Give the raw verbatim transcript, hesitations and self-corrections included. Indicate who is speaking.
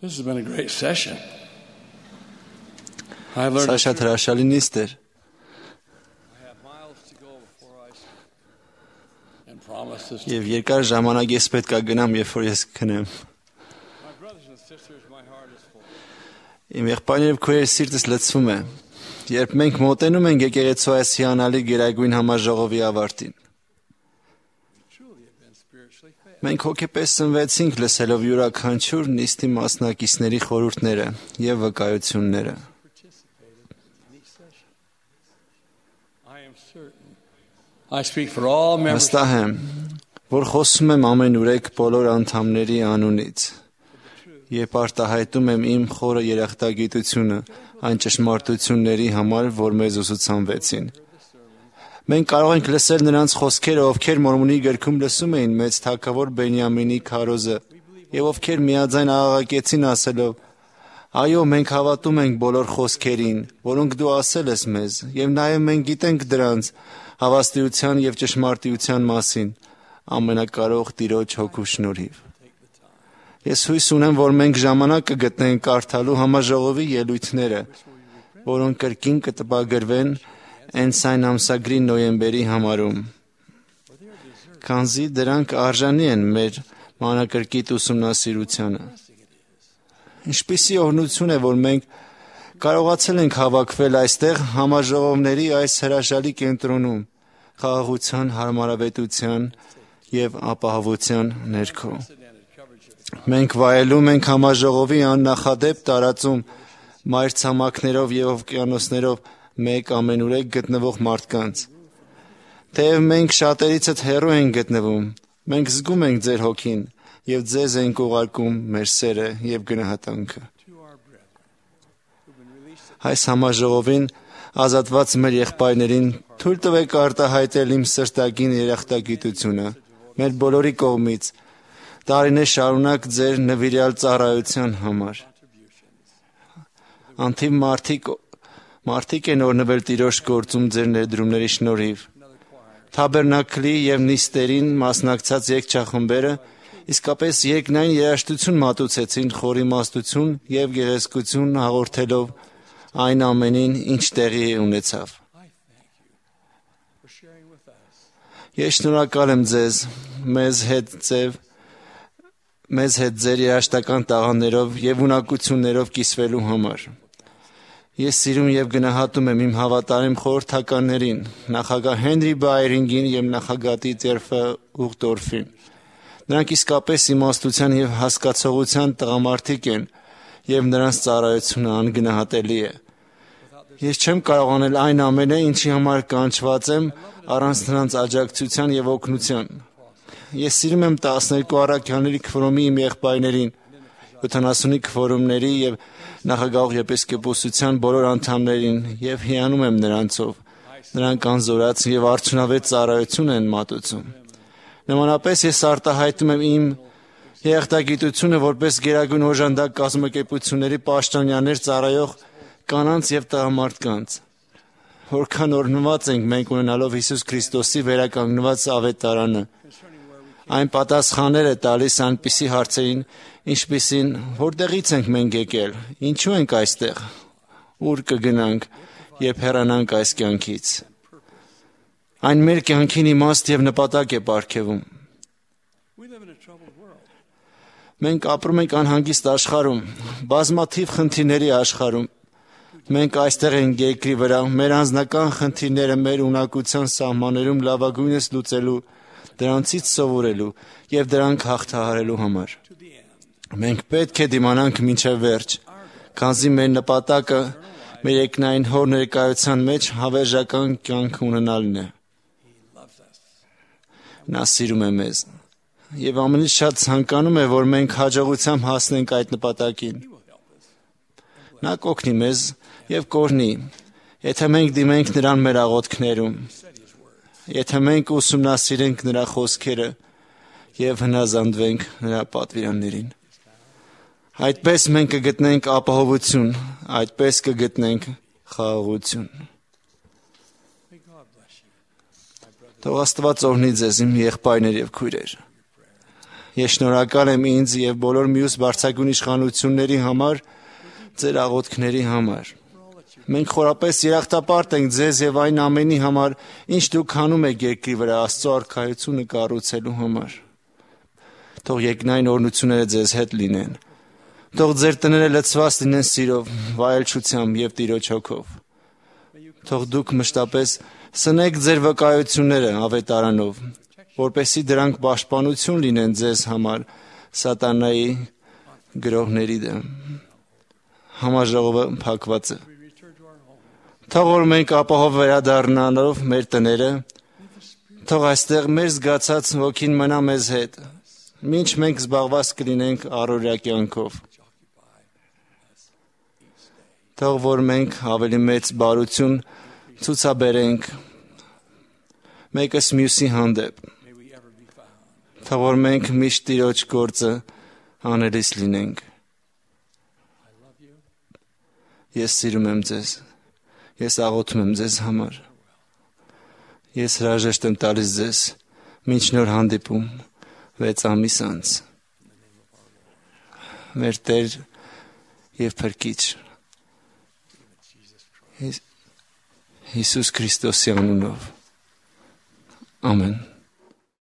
Speaker 1: This has been a great session. I
Speaker 2: Սա
Speaker 1: learned
Speaker 2: շատ հրաշալի նիստ էր։
Speaker 1: I have miles to go before I sleep and promises to
Speaker 2: Եվ երկար ժամանակ ես պետք է գնամ, երբ որ ես քնեմ։
Speaker 1: my brothers and sisters, my heart is full.
Speaker 2: Իմ եղբայրներով քույրեր սիրտս լցվում է, երբ մենք մոտենում ենք եկեղեցու այս հիանալի գերագույն համաժողովի ավարտին։
Speaker 1: We truly have been spiritually fed.
Speaker 2: Մենք հոգեպես սնվեցինք լսելով յուրաքանչյուր նիստի մասնակիցների խորհուրդները եւ վկայությունները։
Speaker 1: Participated in each session. I am certain I speak for all members
Speaker 2: Վստահ եմ, որ խոսում եմ ամենուրեք բոլոր անդամների անունից եւ արտահայտում եմ իմ խորը երախտագիտությունը այն ճշմարտությունների համար, որ մեզ ուսուցանվեցին։ Մենք կարող ենք լսել նրանց խոսքերը, ովքեր Մորմոնի գրքում լսում էին մեծ թագավոր Բենյամինի քարոզը, եւ ովքեր միաձայն աղաղակեցին ասելով. «Այո, մենք հավատում ենք բոլոր խոսքերին, որոնք դու ասել ես մեզ, եւ նաեւ մենք գիտենք դրանց հավաստիության եւ ճշմարտության մասին, ամենակարող Տիրոջ հոգու շնորհիվ»։ Ես հույս ունեմ, որ մենք ժամանակ կգտնենք կարդալու համաժողովի ելույթները, որոնք կրկին կտպագրվեն Էնսայն ամսագրի նոյեմբերի համարում, քանզի դրանք արժանի են մեր մանրակրկիտ ուսումնասիրությանը։ Ինչպիսի օրհնություն է, որ մենք կարողացել ենք հավաքվել այստեղ համաժողովների այս հրաշալի կենտրոնում, խաղաղության, հարմարավետության եւ ապահովության ներքո։ Մենք վայելում ենք համաժողովի աննախադեպ տարածում մայրցամաքներով եւ օվկիանոսներով մեկ ամենուրեք գտնվող մարդկանց։ Թեև մենք շատերիցդ հեռու ենք գտնվում, մենք զգում ենք ձեր հոգին եւ ձեզ ենք ուղարկում մեր սերը եւ գնահատանքը։ Այս համաժողովին ազատված մեր եղբայրներին թույլ տվեք արտահայտել իմ սրտագին երախտագիտությունը մեր բոլորի կողմից տարիներ շարունակ ձեր նվիրյալ ծառայության համար։ Անթիվ մարդիկ մարդիկ են օրհնվել Տիրոջ գործում ձեր ներդրումների շնորհիվ։ Թաբերնակլի եւ նիստերին մասնակցած երգչախմբերը իսկապես երկնային երաժշտություն մատուցեցին խորի իմաստություն եւ գեղեցկություն հաղորդելով այն ամենին, ինչ տեղի ունեցավ։ Ես շնորհակալ եմ ձեզ մեզ հետ ձև մեզ հետ ձեր երաշտական տաղաններով եւ ունակություններով կիսվելու համար։ Ես սիրում եւ գնահատում եմ իմ հավատարիմ խորհրդականներին, նախագահ Հենրի Բայրինգին եւ նախագահ Տիտերֆը Ուղտորֆին։ Նրանք իսկապես իմաստության եւ հասկացողության տղամարդիկ են եւ նրանց ծառայությունը անգնահատելի է։ Ես չեմ կարող անել այն ամենը, ինչի համար կանչված եմ, առանց նրանց աջակցության եւ օգնության։ Ես սիրում եմ տասներկու առաքյալների քվորոմի իմ եղբայրներին, յոթանասունի քվորոմների եւ նախագահ եպիսկոպոսության բոլոր անդամներին եւ հիանում եմ նրանցով։ Նրանք անզորաց եւ արդյունավետ ծառայություն են մատուցում։ Նմանապես ես արտահայտում եմ իմ երախտագիտությունը որպես գերագույն օժանդակ կազմակերպությունների պաշտոնյաներ ծառայող կանանց եւ տղամարդկանց։ Որքան օրհնված ենք մենք ունենալով Հիսուս Քրիստոսի վերականգնված ավետարանը։ Այն պատասխաններ է տալիս այնպիսի հարցերին, ինչպիսին որտեղից ենք մենք եկել, ինչու ենք այստեղ, ուր կգնանք, երբ հեռանանք այս կյանքից։ Այն մեր կյանքին իմաստ եւ նպատակ է պարգևում։ Մենք ապրում ենք անհանգիստ աշխարհում, բազմաթիվ խնդիրների աշխարհում։ Մենք այստեղ ենք երկրի վրա մեր անձնական խնդիրները մեր ունակության սահմաններում լավագույնս լուծելու, դրանցից սովորելու եւ դրանք հաղթահարելու համար։ Մենք պետք է դիմանանք մինչև վերջ, քանզի մեր նպատակը մեր երկնային Հոր ներկայության մեջ հավերժական կյանք ունենալն է։ Նա սիրում է մեզ եւ ամենից շատ ցանկանում է, որ մենք հաջողությամբ հասնենք այդ նպատակին։ Նա կօգնի մեզ եւ կօրհնի, եթե մենք դիմենք նրան մեր աղոթքներում, եթե մենք ուսումնասիրենք նրա խոսքերը եւ հնազանդվենք նրա պատվիրաններին։ Այդպես մենք կգտնենք ապահովություն, այդպես կգտնենք խաղաղություն։ Թող Աստված օրհնի ձեզ իմ եղբայրներ եւ քույրեր։ Ես շնորհակալ եմ ինձ եւ բոլոր մյուս բարձրագույն իշխանությունների համար, ձեր աղոթքների համար։ Մենք խորապես երախտապարտ ենք ձեզ եւ այն ամենի համար, ինչ դուք անում եք երկրի վրա Աստծո արքայությունը կառուցելու համար։ Թող երկնային օրհնությունները ձեզ հետ լինեն։ Թող ձեր տները լցված լինեն սիրով, վայելչությամբ եւ Տիրոջ հոգով։ Թող դուք մշտապես սնեք ձեր վկայությունները ավետարանով, որպեսզի դրանք պաշտպանություն լինեն ձեզ համար սատանայի գրոհների դեմ։ Համաժողովը փակված է։ Թող որ մենք ապահով վերադառնալով մեր տները, թող այստեղ մեր զգացած ոգին մնա մեզ հետ, մինչ մենք զբաղված կլինենք առօրյա կյանքով։ Թող որ մենք ավելի մեծ բարություն ցուցաբերենք մեկս մյուսի հանդեպ։ Թող որ մենք միշտ Տիրոջ գործը անելիս լինենք։ Ես սիրում եմ ձեզ։ Ես աղոթում եմ ձեզ համար։ Ես հրաժեշտ եմ տալիս ձեզ մինչ նոր հանդիպում վեց ամիս անց։ Մեր Տեր եւ Փրկիչ Հիսուս Քրիստոսի անունով։ Ամեն։